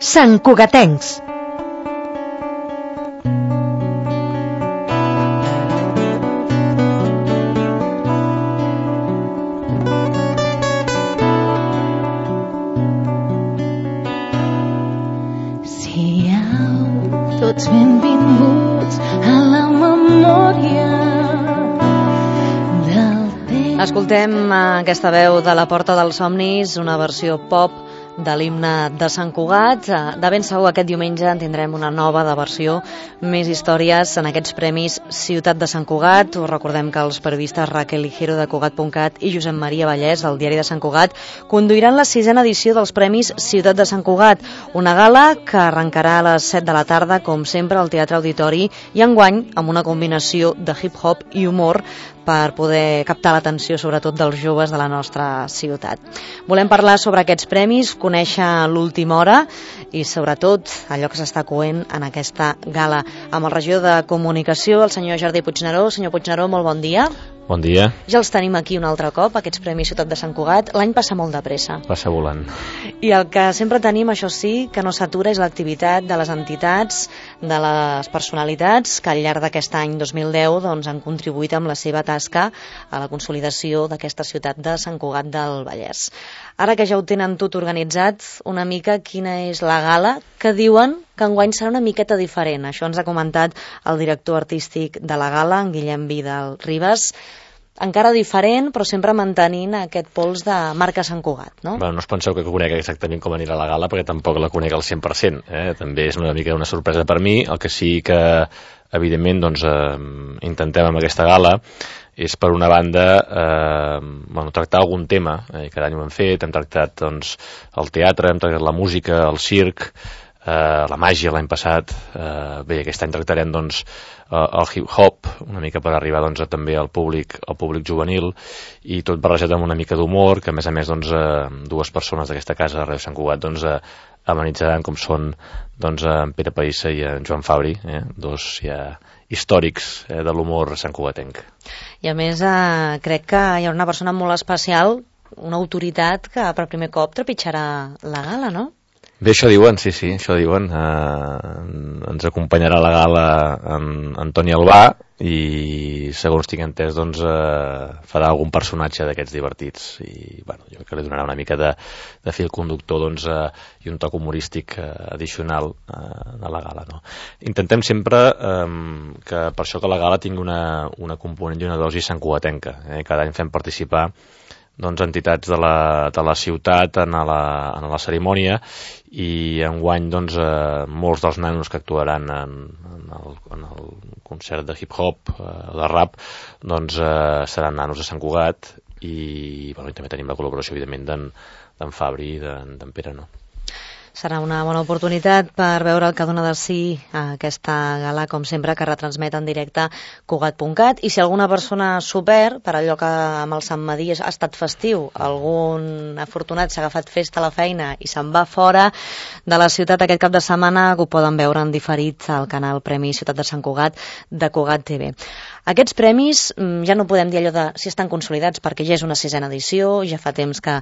Santcugatencs. Tots benvinguts a la memòria del temps. Escoltem aquesta veu de la Porta dels Somnis, una versió pop de l'himne de Sant Cugat. De ben segur aquest diumenge en tindrem una nova de versió, més històries en aquests premis Ciutat de Sant Cugat. Us recordem que els periodistes Raquel Ligero de Cugat.cat i Josep Maria Vallès del Diari de Sant Cugat conduiran la 6a edició dels premis Ciutat de Sant Cugat, una gala que arrencarà a les 7 de la tarda, com sempre, al Teatre Auditori, i enguany amb una combinació de hip-hop i humor per poder captar l'atenció sobretot dels joves de la nostra ciutat. Volem parlar sobre aquests premis, conèixer l'última hora i sobretot allò que s'està coent en aquesta gala. Amb el regidor de Comunicació, el senyor Jordi Puigneró. Senyor Puigneró, molt bon dia. Bon dia. Ja els tenim aquí un altre cop, aquests premis Ciutat de Sant Cugat. L'any passa molt de pressa. Passa volant. I el que sempre tenim, això sí, que no s'atura, és l'activitat de les entitats, de les personalitats que al llarg d'aquest any 2010 han contribuït amb la seva tasca a la consolidació d'aquesta ciutat de Sant Cugat del Vallès. Ara que ja ho tenen tot organitzat, una mica quina és la gala que diuen que enguany serà una miqueta diferent. Això ens ha comentat el director artístic de la gala, en Guillem Vidal Ribas. Encara diferent, però sempre mantenint aquest pols de marca Sant Cugat, no? Bueno, no us penseu que conec exactament com anirà la gala, perquè tampoc la conec al 100%. També és una mica una sorpresa per mi. El que sí que, evidentment, intentem amb aquesta gala és, per una banda, tractar algun tema. Cada any ho hem fet, hem tractat el teatre, hem tractat la música, el circ, la màgia l'any passat. Bé, aquest any tractarem el hip-hop, una mica per arribar també al públic juvenil, i tot barrejat amb una mica d'humor, que a més dues persones d'aquesta casa de Ràdio Sant Cugat amenitzaran, com són en Pere Païssa i en Joan Fabri, dos ja històrics de l'humor santcugatenc. I a més crec que hi ha una persona molt especial, una autoritat que per primer cop trepitjarà la gala, no? Bé, això diuen, sí, això diuen. Ens acompanyarà a la gala en Toni Albà i, segons tinc entès, farà algun personatge d'aquests divertits i, jo crec que li donarà una mica de fil conductor i un toc humorístic addicional a la gala, no? Intentem sempre que per això que la gala tingui una component i una dosi santcugatenca. Cada any fem participar entitats de la ciutat en la cerimònia, i enguany molts dels nanos que actuaran en el concert de hip-hop, de rap, seran nanos de Sant Cugat, i també tenim la col·laboració, evidentment, d'en Fabri i d'en Pere, no? Serà una bona oportunitat per veure el que dona de si aquesta gala, com sempre, que retransmet en directe Cugat.cat. I si alguna persona s'ho perd, per allò que amb el Sant Madí ha estat festiu, algun afortunat s'ha agafat festa a la feina i se'n va fora de la ciutat aquest cap de setmana, que ho poden veure en diferit al canal Premi Ciutat de Sant Cugat de Cugat TV. Aquests premis ja no podem dir allò de si estan consolidats, perquè ja és una 6a edició, ja fa temps que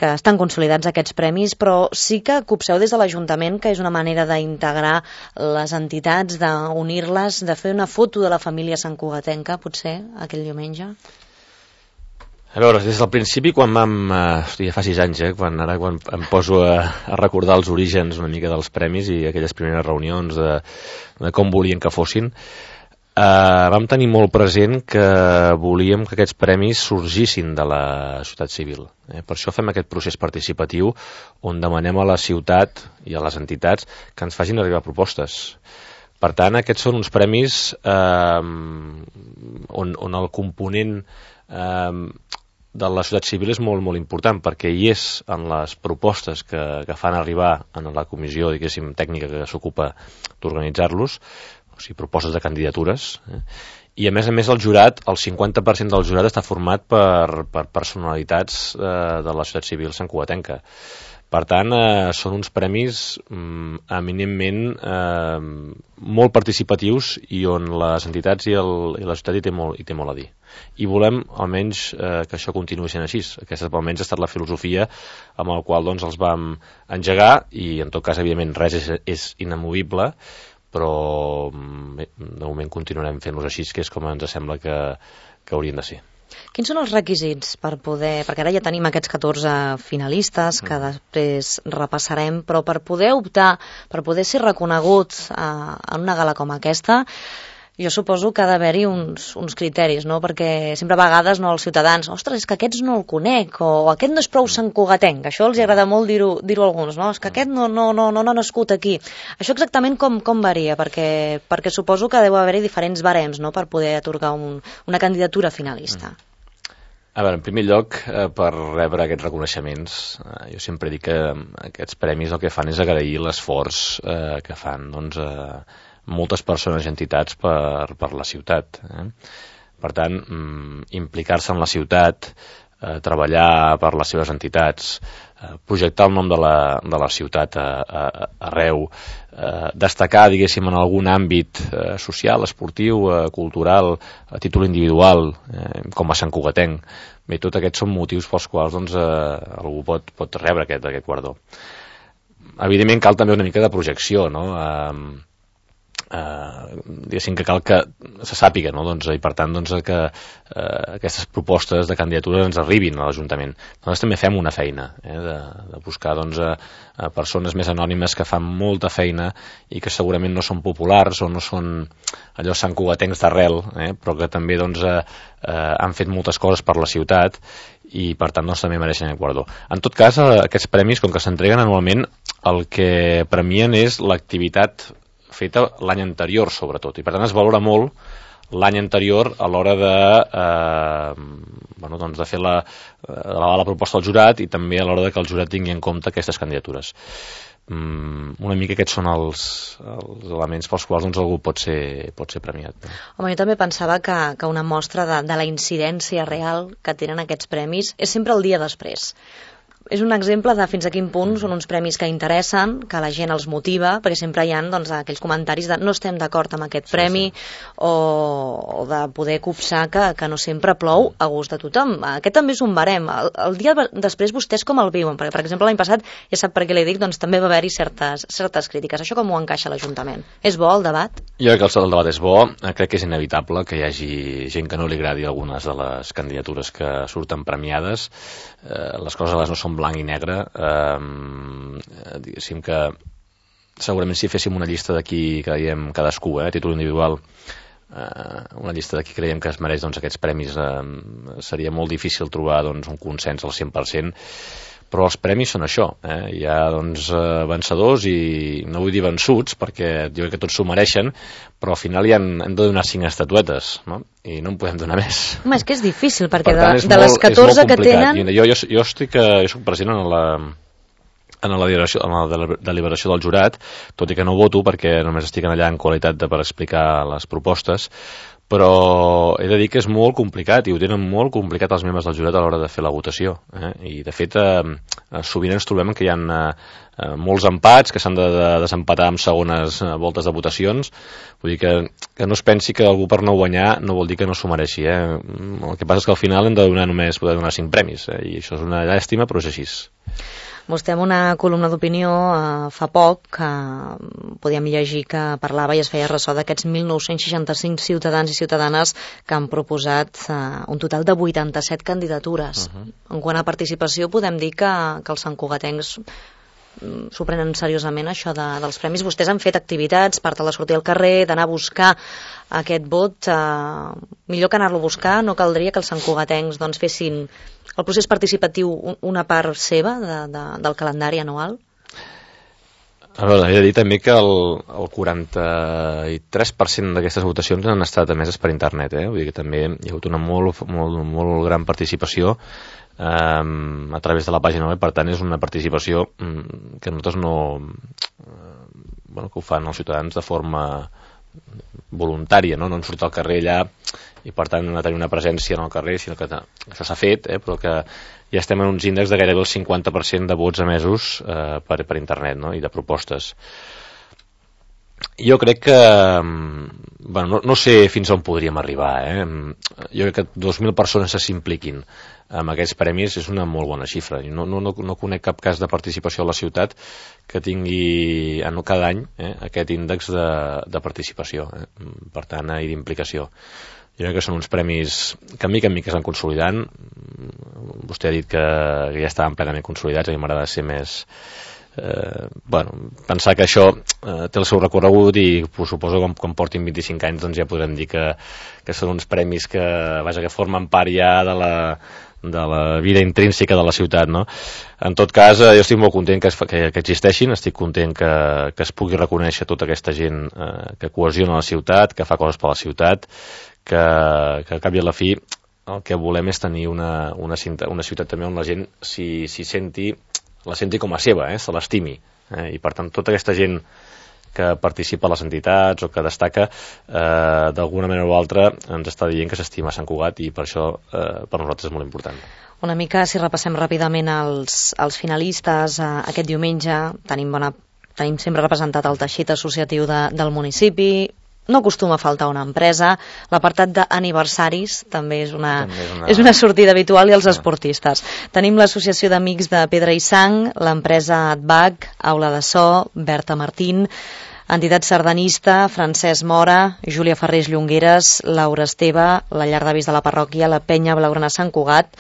estan consolidats aquests premis, però sí que copseu des de l'Ajuntament que és una manera d'integrar les entitats, d'unir-les, de fer una foto de la família santcugatenca, potser, aquell diumenge? A veure, des del principi, quan vam... ja fa 6 anys, quan em poso a recordar els orígens una mica dels premis i aquelles primeres reunions de com volien que fossin, vam tenir molt present que volíem que aquests premis sorgissin de la societat civil. Per això fem aquest procés participatiu on demanem a la ciutat i a les entitats que ens facin arribar propostes. Per tant, aquests són uns premis on el component de la societat civil és molt, molt important, perquè hi és en les propostes que fan arribar en la comissió, diguéssim, tècnica que s'ocupa d'organitzar-los, o sigui, propostes de candidatures, I a més el jurat, el 50% del jurat està format per personalitats de la societat civil santcugatenca. Per tant, són uns premis eminentment molt participatius i on les entitats i la societat hi té molt a dir. I volem, almenys, que això continuï sent així. Aquesta, almenys, ha estat la filosofia amb la qual doncs, els vam engegar i, en tot cas, evidentment, res és inamovible, però de moment continuarem fent-los així, que és com ens sembla que haurien de ser. Quins són els requisits per poder... Perquè ara ja tenim aquests 14 finalistes que després repassarem, però per poder optar, per poder ser reconeguts en una gala com aquesta, jo suposo que ha d'haver-hi uns criteris, no? Perquè sempre a vegades els ciutadans, ostres, és que aquests no el conec, o aquest no és prou santcugatenc, això els agrada molt dir-ho a alguns, no? És que aquest no ha nascut aquí. Això exactament com varia? Perquè suposo que deu haver-hi diferents barems, no?, per poder atorgar una candidatura finalista. A veure, en primer lloc, per rebre aquests reconeixements, jo sempre dic que aquests premis el que fan és agrair l'esforç que fan, doncs, moltes persones i entitats per la ciutat. Per tant, implicar-se en la ciutat, treballar per les seves entitats, projectar el nom de la ciutat arreu, destacar, diguéssim, en algun àmbit social, esportiu, cultural, a títol individual, com a santcugatenc. Bé, tots aquests són motius pels quals doncs, algú pot rebre aquest guardó. Evidentment cal també una mica de projecció, no? Diguéssim que cal que se sàpiga, no? Doncs, i per tant doncs, que aquestes propostes de candidatura ens arribin a l'Ajuntament. Nosaltres també fem una feina de buscar doncs, persones més anònimes que fan molta feina i que segurament no són populars o no són allò santcugatencs d'arrel, però que també doncs, han fet moltes coses per la ciutat i per tant doncs, també mereixen el guardó. En tot cas, aquests premis, com que s'entreguen anualment, el que premien és l'activitat feta l'any anterior, sobretot, i per tant es valora molt l'any anterior a l'hora de fer la proposta al jurat i també a l'hora que el jurat tingui en compte aquestes candidatures. Una mica aquests són els elements pels quals doncs, algú pot ser premiat. Home, jo també pensava que una mostra de la incidència real que tenen aquests premis és sempre el dia després. És un exemple de fins a quin punt són uns premis que interessen, que la gent els motiva, perquè sempre hi ha doncs, aquells comentaris de no estem d'acord amb aquest premi. O de poder copsar que no sempre plou a gust de tothom. Aquest també és un barem. El dia després vostès com el viuen? Perquè, per exemple, l'any passat, ja sap per què li dic, doncs també va haver-hi certes crítiques. Això com ho encaixa l'Ajuntament? És bo el debat? Jo crec que el debat és bo. Crec que és inevitable que hi hagi gent que no li agradi algunes de les candidatures que surten premiades. Les coses a vegades no són blanc i negre. Diguéssim que segurament si féssim una llista d'aquí que diem cadascú, a títol individual, una llista d'aquí creiem que es mereix doncs, aquests premis, seria molt difícil trobar doncs, un consens al 100%, però els premis són això, hi ha doncs, vencedors i no vull dir vençuts perquè jo crec que tots s'ho mereixen, però al final hem de donar 5 estatuetes, no? I no en podem donar més. Home, és que és difícil perquè per tant, de les 14 que tenen... Jo soc president en la deliberació del jurat, tot i que no voto perquè només estic allà en qualitat per explicar les propostes, però he de dir que és molt complicat i ho tenen molt complicat els membres del jurat a l'hora de fer la votació. I de fet sovint ens trobem que hi ha molts empats que s'han de desempatar en segones voltes de votacions. Vull dir que no es pensi que algú per no guanyar no vol dir que no s'ho mereixi. El que passa és que al final hem de poder donar 5 premis, i això és una llàstima, però és així. Vostè en una columna d'opinió fa poc que podíem llegir que parlava i es feia ressò d'aquests 1.965 ciutadans i ciutadanes que han proposat un total de 87 candidatures. En quant a participació podem dir que els santcugatencs s'ho prenen seriosament això dels premis. Vostès han fet activitats, part de sortir al carrer, d'anar a buscar aquest vot. Millor que anar-lo a buscar, no caldria que els santcugatencs doncs, fessin el procés participatiu una part seva del calendari anual? A veure, he de dir també que el 43% d'aquestes votacions han estat emeses per internet, Vull dir que també hi ha hagut una molt gran participació a través de la pàgina web, per tant és una participació que nosaltres que ho fan els ciutadans de forma voluntària, no en sortir al carrer allà i per tant no tenir una presència en el carrer, sinó que això s'ha fet, però que ja estem en uns índexs de gairebé el 50% de vots emesos per internet, no? I de propostes. Jo crec que no sé fins on podríem arribar, jo crec que 2.000 persones s'impliquin amb aquests premis és una molt bona xifra. No conec cap cas de participació a la ciutat que tingui cada any aquest índex de participació, per tant, i d'implicació. Jo crec que són uns premis que mica en mica estan consolidant. Vostè ha dit que ja estaven plenament consolidats, a mi m'agrada ser més... pensar que això té el seu recorregut i suposo que quan portin 25 anys doncs ja podrem dir que són uns premis que formen part ja de la vida intrínseca de la ciutat, no? En tot cas, jo estic molt content que existeixin, estic content que es pugui reconèixer tota aquesta gent que cohesiona la ciutat, que fa coses per la ciutat, que al cap i a la fi el que volem és tenir una ciutat també on la gent la senti com a seva, se l'estimi, i per tant tota aquesta gent que participa a les entitats o que destaca d'alguna manera o altra ens està dient que s'estima Sant Cugat i per això per nosaltres és molt important. Una mica, si repassem ràpidament els finalistes, aquest diumenge tenim sempre representat el teixit associatiu del municipi. No acostuma a faltar una empresa. L'apartat d'aniversaris també és una sortida habitual, i els esportistes. Tenim l'Associació d'Amics de Pedra i Sang, l'empresa ADVAC, Aula de So, Berta Martín, entitat sardanista, Francesc Mora, Júlia Ferrés Llongueres, Laura Esteve, la llar d'avis de la parròquia, la Penya Blaugrana Sant Cugat,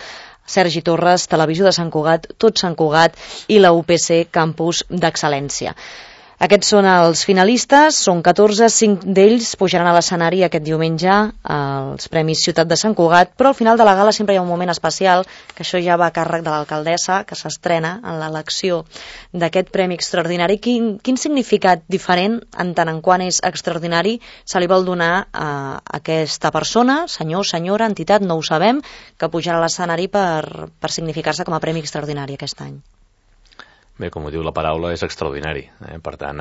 Sergi Torres, Televisió de Sant Cugat, Tot Sant Cugat i la UPC Campus d'Excel·lència. Aquests són els finalistes, són 14, 5 d'ells pujaran a l'escenari aquest diumenge als Premis Ciutat de Sant Cugat, però al final de la gala sempre hi ha un moment especial, que això ja va a càrrec de l'alcaldessa, que s'estrena en l'elecció d'aquest Premi Extraordinari. Quin significat diferent, en tant en quant és extraordinari, se li vol donar a aquesta persona, senyor, senyora, entitat, no ho sabem, que pujarà a l'escenari per significar-se com a Premi Extraordinari aquest any? Bé, com ho diu la paraula, és extraordinari. Per tant...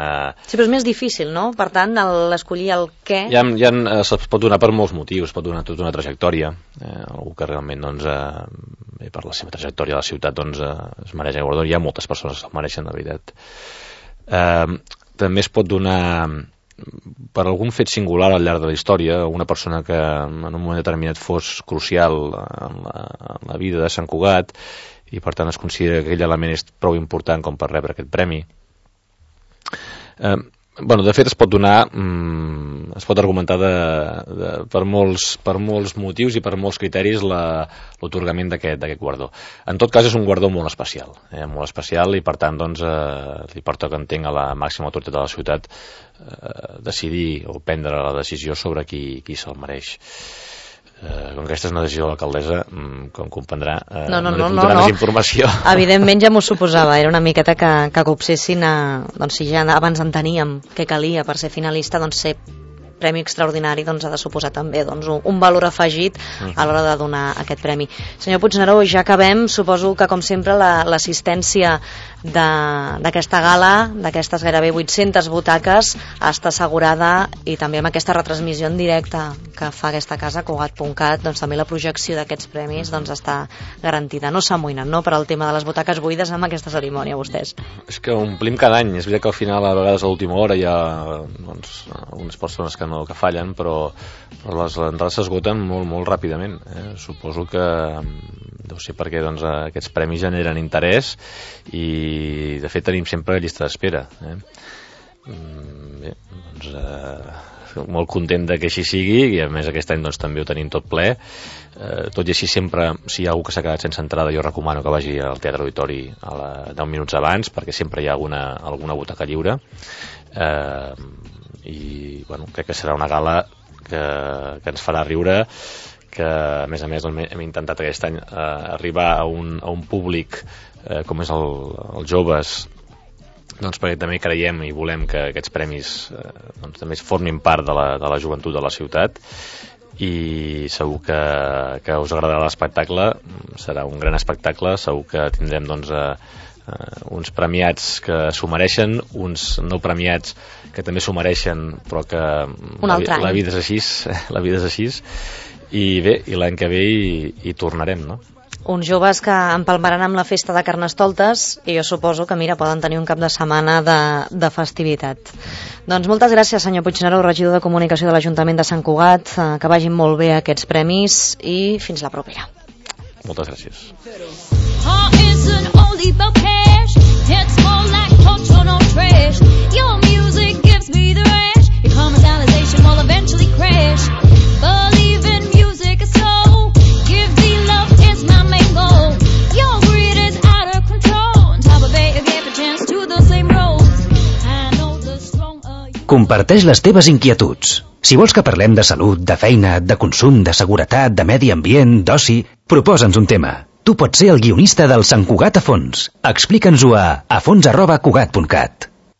Sí, però és més difícil, no? Per tant, l'escollir el què... Se'ls pot donar per molts motius, es pot donar tota una trajectòria. Algú que realment, per la seva trajectòria a la ciutat, es mereix el guardó. Hi ha moltes persones que se'l mereixen, de veritat. També es pot donar per algun fet singular al llarg de la història, una persona que en un moment determinat fos crucial en la vida de Sant Cugat, i per tant es considera que aquell element és prou important com per rebre aquest premi. De fet es pot donar, es pot argumentar per molts motius i per molts criteris l'atorgament d'aquest guardó. En tot cas és un guardó molt especial, i per tant li porta que entenc a la màxima autoritat de la ciutat decidir o prendre la decisió sobre qui se'l mereix. Com que aquesta és una decisió de l'alcaldessa, com comprendrà, no li puc donar més informació. Evidentment ja m'ho suposava, era una miqueta que copsessin si ja abans en teníem què calia per ser finalista, ser Premi Extraordinari ha de suposar també un valor afegit a l'hora de donar aquest premi. Senyor Puigneró, ja acabem. Suposo que, com sempre, l'assistència d'aquesta gala, d'aquestes gairebé 800 butaques, està assegurada, i també amb aquesta retransmissió en directe que fa aquesta casa, Cugat.cat, també la projecció d'aquests premis està garantida. No s'amoïnen, no?, per al tema de les butaques buides amb aquesta cerimònia, vostès. És que omplim cada any. És veritat que al final, a vegades a l'última hora, hi ha algunes persones que fallen, però les entrades s'esgoten molt, molt ràpidament. Suposo que deu ser perquè aquests premis generen interès i de fet tenim sempre llista d'espera. Molt content que així sigui, i a més aquest any també ho tenim tot ple. Tot i així, sempre, si hi ha algú que s'ha quedat sense entrada, jo recomano que vagi al Teatre Auditori 10 minuts abans, perquè sempre hi ha alguna butaca lliure. I crec que serà una gala que ens farà riure, que a més hem intentat aquest any arribar a un públic com és els joves, perquè també creiem i volem que aquests premis també formin part de la joventut de la ciutat, i segur que us agradarà l'espectacle. Serà un gran espectacle, segur que tindrem doncs uns premiats que s'ho mereixen, uns no premiats que també s'ho mereixen, però que la vida és així, la vida és així, i bé, i l'any que ve hi tornarem, no? Uns joves que empalmaran amb la festa de Carnestoltes i jo suposo que, mira, poden tenir un cap de setmana de festivitat. Doncs moltes gràcies, senyor Puigneró, regidor de Comunicació de l'Ajuntament de Sant Cugat, que vagin molt bé aquests premis i fins la propera. Moltes gràcies. Comparteix les teves inquietuds. Si vols que parlem de salut, de feina, de consum, de seguretat, de medi ambient, d'oci, proposa'ns un tema. Tu pots ser el guionista del Sant Cugat a fons. Explica'ns-ho a fons@cugat.cat.